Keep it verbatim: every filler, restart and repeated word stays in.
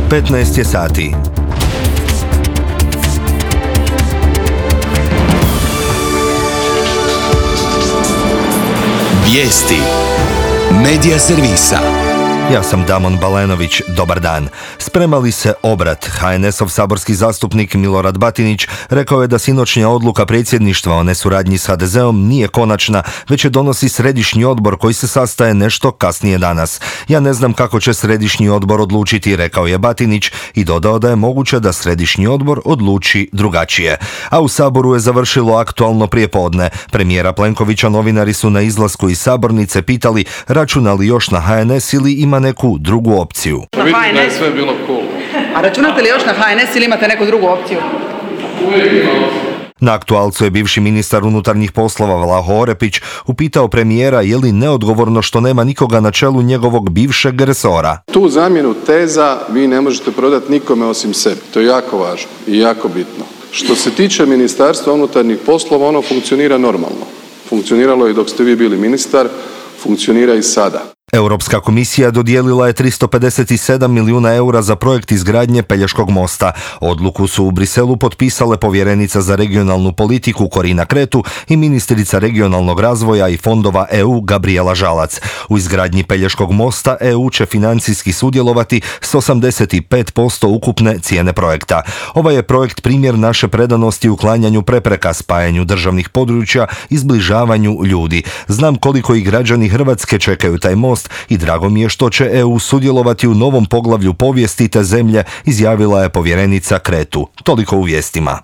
petnaest je sati. Vijesti Medija servisa. Ja sam Damon Balenović, dobar dan. Sprema li se obrat? ha en es-ov saborski zastupnik Milorad Batinić rekao je da sinoćnja odluka predsjedništva o nesuradnji s ha de zeom nije konačna, već je donosi središnji odbor koji se sastaje nešto kasnije danas. Ja ne znam kako će središnji odbor odlučiti, rekao je Batinić i dodao da je moguće da središnji odbor odluči drugačije. A u Saboru je završilo aktualno prijepodne. Premijera Plenkovića novinari su na izlasku iz sabornice pitali računa li još na ha en es ili ima neku drugu opciju. Vidite da je sve bilo cool. A računate li još na ha en es ili imate neku drugu opciju? Uvijek imamo. Na aktualcu je bivši ministar unutarnjih poslova Vlaho Orepić upitao premijera je li neodgovorno što nema nikoga na čelu njegovog bivšeg resora. Tu zamjenu teza vi ne možete prodati nikome osim sebi. To je jako važno i jako bitno. Što se tiče Ministarstva unutarnjih poslova, ono funkcionira normalno. Funkcioniralo je dok ste vi bili ministar, funkcionira i sada. Europska komisija dodijelila je tristo pedeset sedam milijuna eura za projekt izgradnje Pelješkog mosta. Odluku su u Briselu potpisale povjerenica za regionalnu politiku Corina Cretu i ministrica regionalnog razvoja i fondova e u Gabrijela Žalac. U izgradnji Pelješkog mosta e u će financijski sudjelovati s osamdeset pet posto ukupne cijene projekta. Ovaj je projekt primjer naše predanosti uklanjanju prepreka, spajanju državnih područja i zbližavanju ljudi. Znam koliko i građani Hrvatske čekaju taj most i drago mi je što će e u sudjelovati u novom poglavlju povijesti te zemlje, izjavila je povjerenica Cretu. Toliko u vijestima.